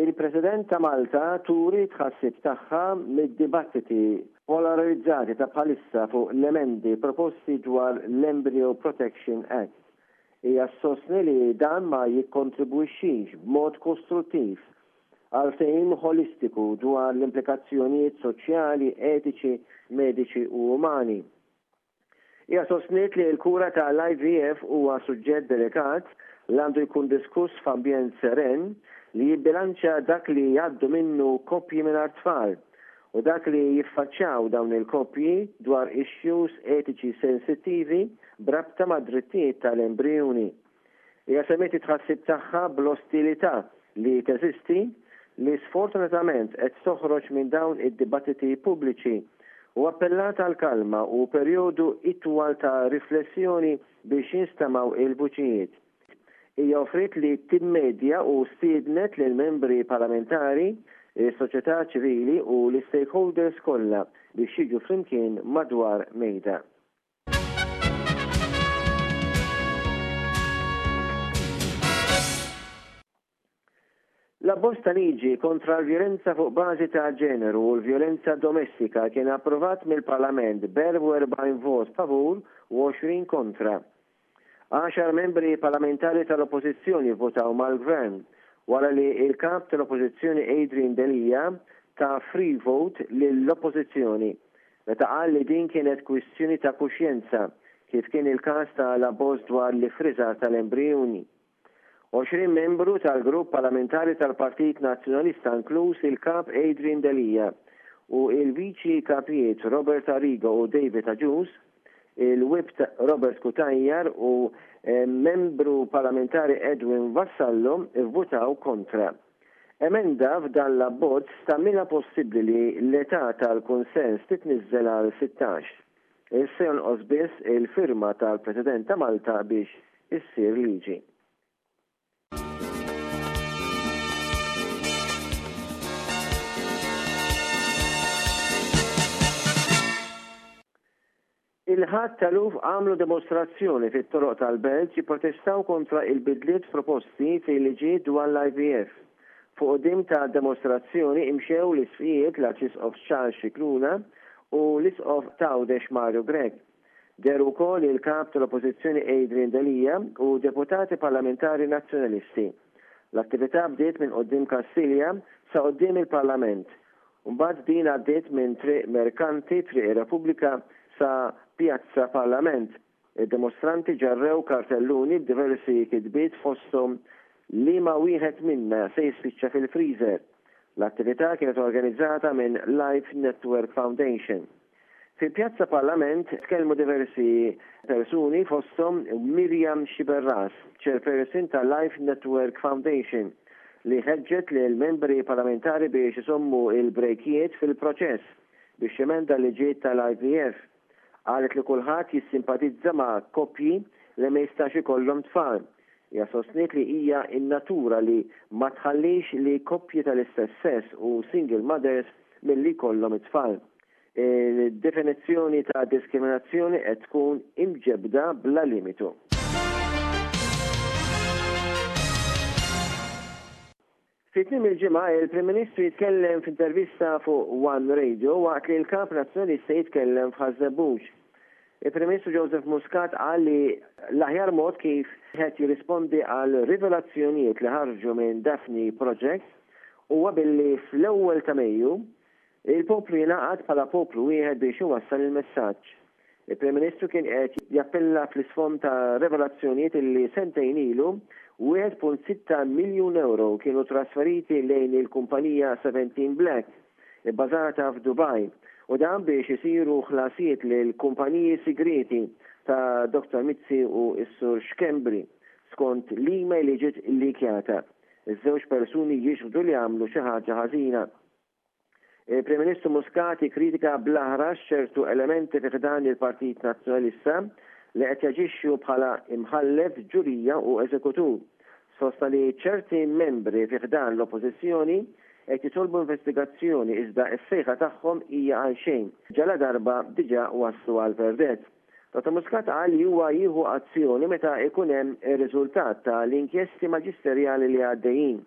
Il-President ta' Malta turi t-tħassib tagħha mid-dibattiti polarizzati ta' bħalissa fuq l-emendi proposti dwar l-Embryo Protection Act. Hija ssostni li dan ma jikkontribwixxix b'mod kostruttiv għal ftehim ħolistiku dwar l-implikazzjonijiet soċjali, etiċi, mediċi u umani. Hija sostniet li l-kura ta' l-IVF huwa suġġett delikat li għandu jkun diskuss f'ambjent seren li jibbilanċja dak li jgħaddu minnu koppji mingħajr tfal u dak li jiffaċċjaw dawn il-koppji dwar issues etiċi sensittivi b'rabta mad-drittijiet ta' l-embrijuni. Hija semmiet it-tħassib tagħha bl-ostilità li teżisti li sfortunatament qed toħroġ minn dawn id-dibattiti pubbliċi u appellat għal kalma u perjodu itwal ta' riflessjoni biex jinstemgħu il-vuċijiet. Hija offriet li timmedja u stiednet lill-membri parlamentari, is-soċjetà ċivili u l-istakeholders kollha biex jiġu flimkien madwar mejda. L-abbozz ta' liġi kontra l-vjolenza fuq bażi ta' ġeneru u l-vjolenza domestika kien approvat mill-Parlament b'44 vot favur u 20 kontra. Għaxar membri parlamentari tal-Oppożizzjoni vvotaw mal-Gvern wara li l-Kap tal-Oppożizzjoni Adrian Delia ta free vote lill-Oppożizzjoni meta qal li din kienet kwistjoni ta' kuxjenza, kif kien il-każ ta' l-abbożż dwar l-iffriżar tal-embrijuni. 20 membru tal-Grupp Parlamentari tal-Partit Nazzjonalista inkluż il-Kap Adrian Delia u il-Viċi Kapijiet Robert Arrigo u David Agius, il-Whip Robert Cutajar u Membru Parlamentari Edwin Vassallo vvutaw kontra. Emenda f'dan l-abbozz tagħmilha possibbli li l-età tal-kunsens titniżżel għal 16. Issa jonqos biss il-firma tal-President ta' Malta biex issir liġi. Il-Ħadd eluf għamlu dimostrazzjoni fit-toroq tal-belt jipprotestaw kontra il-bidliet proposti fil-liġijiet dwar l-IVF. Fuq quddiem tad-demostrazzjoni imxew l-Isqfijiet l-Arċisqof Charles Scicluna u l-Isqof t'Għawdex Mario Grech. Dehru wkoll il-Kap tal-Oppożizzjoni Adrian Delia u deputati parlamentari Nazzjonalisti. L-attività bdiet minn quddiem Kastilja sa quddiem il-Parlament Mbagħad din għaddiet minn Triq Merkanti, Triq ir-Repubblika sa Pjazza Parlament. Id-dimostranti ġarrew kartelluni b'diversi kitbiet fosthom Liema wieħed minna se jispiċċa fil-freezer? L-attività kienet organizzata minn Life Network Foundation. Fi Pjazza Parlament tkellmu diversi persuni fosthom Miriam Sciberras, Chairperson ta' Life Network Foundation, li ħeġġet lill-membri parlamentari biex iżommu l-brejkijiet fil-proċess biex jemenda l-liġijiet tal-IVF. Qalet li kulħadd jissimpatizza ma' koppji li ma jistax ikollhom tfal. Hija sostniet li hija n-natura li ma tħallix li koppji tal-istess sess u single mothers milli jkollhom it-tfal. Il-definizzjoni ta' diskriminazzjoni qed tkun imġebbda bla limitu. Fi tmiem il-ġimgħa, il-Prim Ministru jitkellem f'intervista fuq One Radio waqt li l-Kap Nazzjonalista jitkellem f'Ħaż-Żebbuġ. Il-Prim Ministru Joseph Muscat qal li l-aħjar mod kif wieħed jirrispondi għal rivelazzjonijiet li ħarġu minn Daphne Project huwa billi fl-ewwel ta' Mejju Il-poplu jingħaqad bħala poplu wieħed biex iwassal il-messaġġ. Il-Prim Ministru kien qed jappella fl-isfond ta' revelazzjonijiet illi sentejn ilu 1.6 miljun ewro kienu trasferiti lejn il-kumpanija Seventeen Black, ibbażata f'Dubaj, u dan biex isiru ħlasijiet lil kumpaniji sigrieti ta' Dottor Mizzi u s-Sur Schembri, skont l-email li ġiet illikjata. Iż-żewġ persuni jixhdu li għamlu xi ħaġa ħażina. Il-Prim Ministru Muscat ikkritika bl-aħrax ċertu elementi fi ħdan il-Partit Nazzjonalista li qed jaġixxu bħala imħallef, ġurija u eżekutur. Sostna li ċerti membri fi ħdan l-Oppożizzjoni qed jitolbu investigazzjoni iżda s-sejħa tagħhom hija għalxejn ġaladarba diġà waslu għal verdett. Dottor Muscat qal li huwa jieħu azzjoni meta jkun hemm ir-riżultat ta' l-inkjesti maġisterjali li għaddejjin.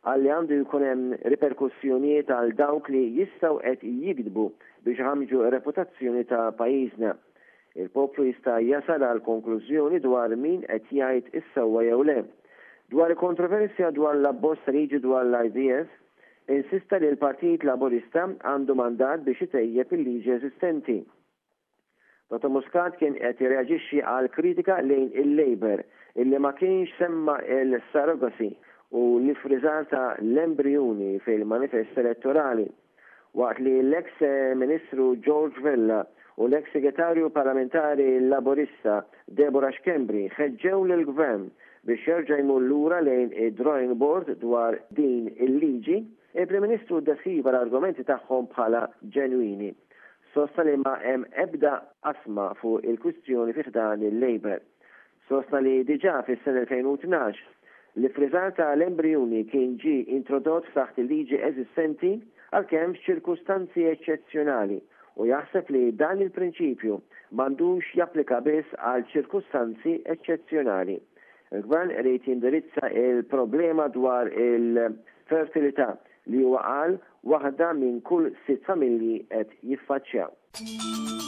Qal li għandu jkun hemm riperkussjonijiet għal dawk li jistgħu qed jigdbu biex iħammġu r-reputazzjoni ta' pajjiżna. Il-poplu jista' jasal għal konklużjoni dwar min qed jgħid is-sewwa jew le. Dwar il-kontroversja dwar l-abbozz ta' liġi dwar l-IVF, insista li l-Partit Laburista għandu mandat biex itejjeb il-liġi eżistenti. Dottor Muscat kien qed jirreaġixxi għal kritika lejn il-Labour illi ma kienx semma l-surrogacy u l-iffriżar ta' l-embrijuni fil-manifest elettorali. Waqt li l-eks Ministru George Vella u l-eks Segretarju Parlamentari Laburista Deborah Schembri ħeġġew lill-Gvern biex jerġa' jmur lura lejn id-drawing board dwar din il-liġi, il-Prim Ministru ddeskriva l-argumenti tagħhom bħala ġenwini. Sostna li ma hemm ebda qasma fuq il-kwistjoni fi ħdan il-Labour. Sostna li diġà fis-sena 2012, l-iffriżar ta' l-embrijuni kien ġie introdott taħt il-liġi eżistenti għalkemm f'ċirkustanzi eċċezzjonali u jaħseb li dan il-prinċipju m'għandux japplika biss għal ċirkustanzi eċċezzjonali. Il-Gvern irid jindirizza il-problema dwar il-fertilità li huwa qal waħda minn kull sitt familji qed jiffaċċjaw.